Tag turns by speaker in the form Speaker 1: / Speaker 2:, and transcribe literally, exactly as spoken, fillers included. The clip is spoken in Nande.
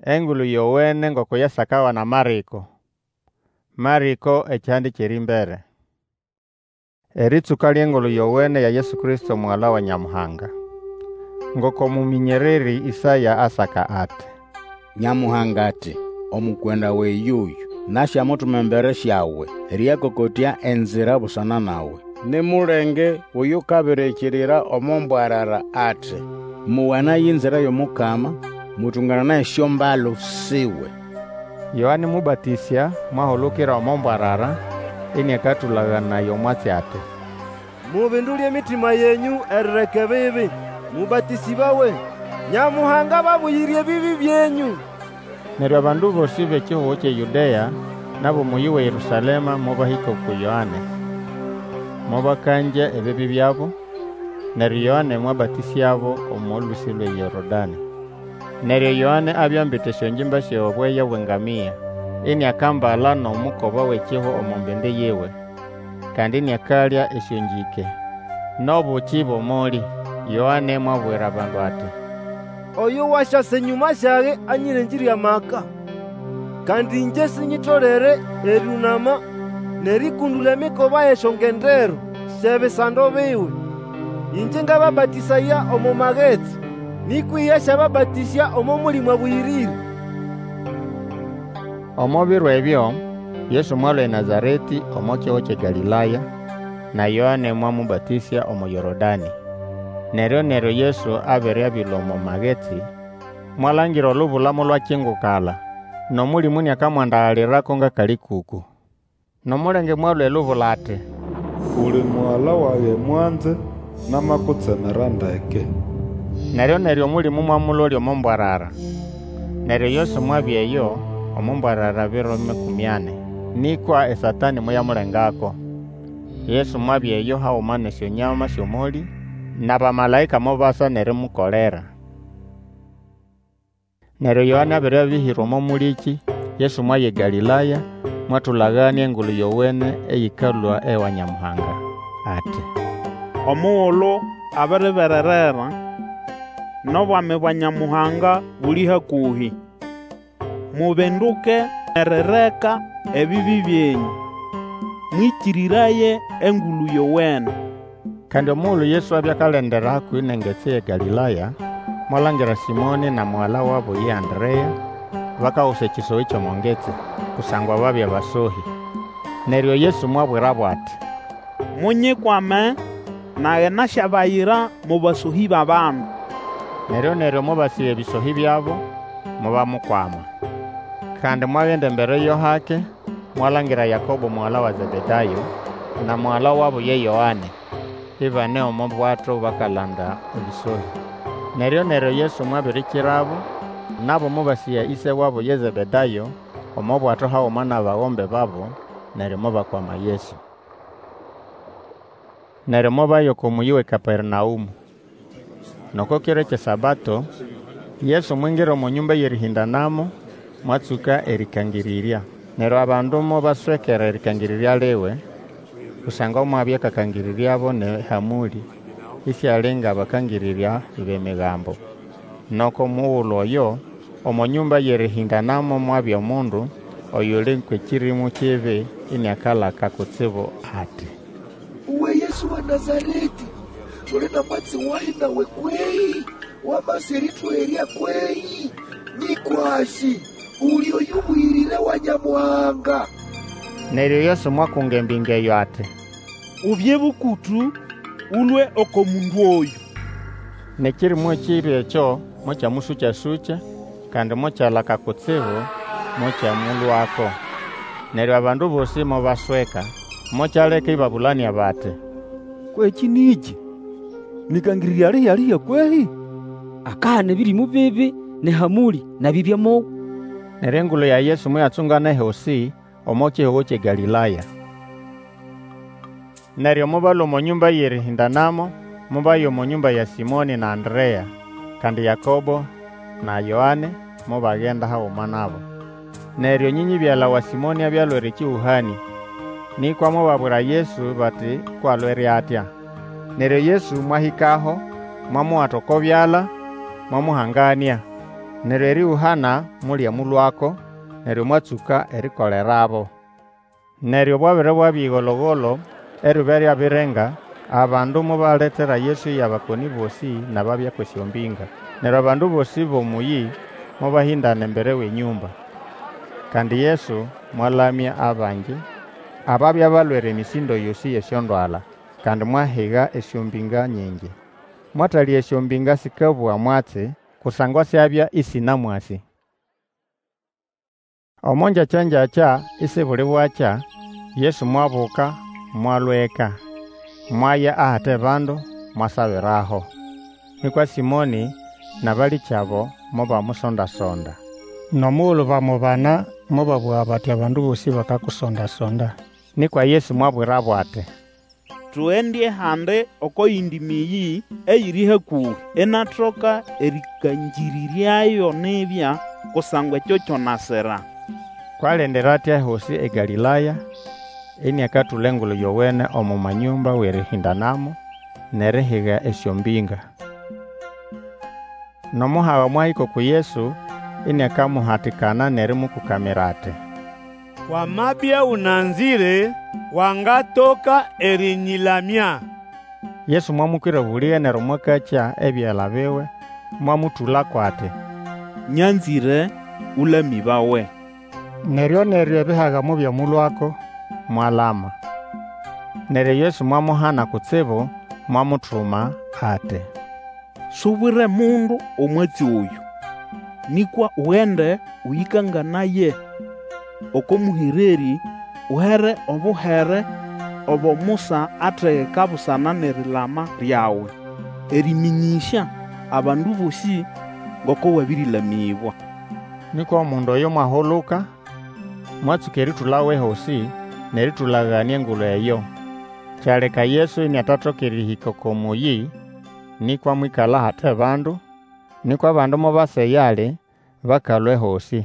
Speaker 1: Engulu Yowene ngoko yasakawa na Marĩko. Marĩko ekihande ky'erĩmbere. Erĩtsũka ly'Engulu Yowene ya Yesu Kristo, Mugala wa Nyamuhanga. Ngoko mũmĩnyererĩ Ĩsaya asaka ati,
Speaker 2: Nyamuhanga ati, Omukwenda wage yoyũ, Nasyamutuma embere syawe, Erĩyakokotya enzira busana nawe. Ni mulenge w'oyukabirikirira omo mbwarara ati, Mowanaye enzira y'omukama, Mũtũngananaye esyombalu siwe.
Speaker 1: Yoane Mũbatĩsya mwahulukira omo mbwarara, ĩnĩakatũlaganaya omwatsi ati,
Speaker 3: Mubindule emitima yenyũ erireka ebibi, mũbatĩsĩbawe, Nyamuhanga ababuyire ebibi byenyũ.
Speaker 1: Neryo abandu bosĩ b'ekihugo ky'eYũdea n'ab'omũyĩ w'eYerũsalema mobahĩka uku Yoane, mobakangya ebibi byabo, neryo Yoane mwabatĩsyabo omo lũsĩ lw'eYorodanĩ. Neryo Yoane abya ambite esyongimba sy'obweya bw'engamia, iniakambala n'omukoba w'ekihwa omo mbindi yiwe, kandi iniakalya esyongĩke, n'obuki b'omolĩ. Yoane mwabwira abandu ati,
Speaker 3: Oyo wasyasa enyũma syage anyĩrengĩre amaka, kandi ĩngye sinyitolere erĩũnama n'erĩkũndũla emikoba y'esyongendero sy'ebisando biwe. Ĩngye ngababatĩsaya omo magetsi, nĩkwa iye asyababatĩsya omo Mũlĩmũ Abũyĩrĩre.
Speaker 1: Omo biro ebyo, Yesu mwalũa eNazaretĩ omo kihugo ky'eGalĩlaya, na Yoane mwamũbatĩsya omo Yorodanĩ. Neryo-neryo Yesu abere abĩlũa omo magetsi, mwalangira olubula molwakingukala, n'Omũlĩmũ iniakamwandagalirako ng'akalĩkũkũ. N'omulenge mwalũa elubula ati,
Speaker 4: Uli Mugala wage mwanze, namakutsemera ndeke.
Speaker 1: Neryo-neryo Omũlĩmũ mwamũlolya omo mbwarara. Neryo Yesu mwabya eyo omo mbwarara biro makũmĩ ani, nĩkwa eSatanĩ moyamulengako. Yesu mwabya eyo haguma n'esyonyama sy'omolĩ, n'abamalaĩka mobasa n'erimukolera. Neryo Yoane abere abĩhĩrwa omo mũlĩkĩ, Yesu mwaya eGalĩlaya, mwatũlaganĩa Engulu Yowene eyĩkalũa ewa Nyamuhanga, ati,
Speaker 5: Omugulu abiribererera, n'obwami bwa Nyamuhanga buli hakũhĩ. Mubinduke erireka ebibi byenyũ, mwĩkĩrĩraye Engulu Yowene.
Speaker 1: Kandi omugulu Yesu abya akalendera hakũhĩ n'engetsi y'eGalĩlaya, mwalangira Sĩmonĩ na mugala wabo ye Anderea, bakagusa ekĩsohĩ ky'omo ngetsi, kusangwa babya basohĩ. Neryo Yesu mwabwirabo ati,
Speaker 5: Munyikwame, nage nasyabayira mo basohĩ b'abandu.
Speaker 1: Neryo-neryo mobasĩga ebĩsohĩ byabo, mobamukwama. Kandi mwagenda embere yo hake, mwalangira Yakobo mugala wa Zebedayo, na mugala wabo ye Yoane, ibane omo bwato bakalanda ebĩsohĩ. Neryo-neryo Yesu mwabirikirabo, nabo mobasĩga ĩse wabo ye Zebedayo omo bwato haguma n'abagombe babo, neryo mobakwama Yesu. Neryo mobaya oko mũyĩ w'eKapernaũmũ. N'oko kiro ky'eSabato, Yesu mwingira omo nyũmba y'erĩhĩndanamo, mwatsũka erĩkangĩrĩrya. Neryo abandu mobaswekera erĩkangĩrĩrya liwe, kusangwa mwabya akakangĩrĩryabo n'ehamũlĩ, isiali ng'abakangĩrĩrya b'Emigambo. N'oko mugulu oyo, omo nyũmba y'erĩhĩndanamo mwabya omundu oyuli kw'ekĩrĩmũ kibi iniakalaka kutsibu ati,
Speaker 6: Uwe Yesu wa Nazaretĩ, tuli na mwatsi wahi nawe kwehĩ? Wamasa erĩtũherya kwehĩ? Nyĩkwasĩ, uli Oyũbũyĩrĩre wa Nyamuhanga.
Speaker 1: Neryo Yesu mwakunga embinga eyo ati,
Speaker 5: Ubye bũkũtũ, Ũlũe oko mundu oyũ.
Speaker 1: N'ekĩrĩmũ kibi ekyo mokyamũsũkya-sũkya, kandi mokyalaka kutsibu, mokyamũlũako. Neryo abandu bosĩ mobasweka, mokyaleka ĩbabũlanĩa bati,
Speaker 7: Kwekĩ nĩkĩ? N'ĩkangĩrĩrya lihi-lihi kwehĩ?
Speaker 8: Akahana ebĩrĩmũ bibi n'ehamũlĩ, nabyo ibyamowa.
Speaker 1: Neryo engulu ya Yesu moyatsungana ehosĩ omo kihugo ky'eGalĩlaya. Neryo mobalũa omo nyũmba y'erĩhĩndanamo, mobaya omo nyũmba ya Sĩmonĩ na Anderea. Kandi Yakobo na Yoane mobagenda haguma nabo. Neryo nyĩnyĩbyala wa Sĩmonĩ abya alwere ekĩhũhanĩa, nĩkwa mobabwira Yesu bati kw'alwere atya. Neryo Yesu mwahĩkaho, mwamuwata oko byala, mwamuhanganĩa. Neryo erĩũhana molyamũlũako, neryo mwatsũka erikolerabo. Neryo bwabere bwabya ĩgolo-golo, eryuba lyabirenga, abandu mobaletera Yesu y'abakonĩ bosĩ n'ababya kw'esyombĩnga. Neryo abandu bosĩ b'omũyĩ mobahĩndana embere w'enyũmba. Kandi Yesu mwalamya abangi ababya balwere emĩsĩndo yosĩ y'esyondwala, kandi mwahiga esyombĩnga nyingi. Mwatalĩga esyombĩnga sĩkabũga mwatsi, kusangwa syabya ĩsĩnamwasĩ. Omo ngyakya-ngyakya isibuli bwakya, Yesu mwabuka mwalũa eka, mwaya ahate bandu, mwasabiraho. Nĩkwa Sĩmonĩ n'abalĩkyabo mobamusonda-sonda.
Speaker 9: N'omugulu bamubana, mobabũga bati, Abandu bosĩ bakakusonda-sonda.
Speaker 1: Nĩkwa Yesu mwabwirabo ati,
Speaker 5: Tugende ahandi oko yindi mĩyĩ eyiri hakũhĩ, inatoka erĩkangĩrĩryayo nibya, kusangwa ekyo kyo nasira.
Speaker 1: Kw'alendera atya ehosĩ eGalĩlaya, iniakatũla Engulu Yowene omo manyũmba w'erĩhĩndanamo, n'erihiga esyombĩnga. N'omuhaga mwahĩka uku Yesu iniakamuhatikana n'erĩmũkũkamira ati,
Speaker 10: Wamabya ũnanzĩre, wangatoka erĩnyĩlamya.
Speaker 1: Yesu mwamũkwĩra obũlĩge neryo mwakakya ebyala biwe, mwamũtũlako ati,
Speaker 5: Nyanzĩre, Ũlamĩbawe.
Speaker 9: Neryo-neryo ebihaga mobyamũlũako,
Speaker 1: mwalama. Neryo Yesu mwamuhana kutsibu, mwamutuma ati,
Speaker 5: Subwire mundu omwatsi oyũ, nĩkwa ugende ũyĩkanganaye oko mũhererĩ, uhere obuhere obo Musa ategeka busana n'erilama lyawe, erĩmĩnyĩsya abandu bosĩ ngoko wabĩrĩlamĩbwa.
Speaker 1: Nĩkwa omundu oyo mwahuluka, mwatsũka erĩtũlago ehosĩ, n'erĩtũlaganĩa Engulu eyo. Kyaleka Yesu iniatatoka erĩhĩka oko mũyĩ, nĩkwa mwĩkala ahate bandu, nĩkwa abandu mobasa eyali, bakalũa ehosĩ.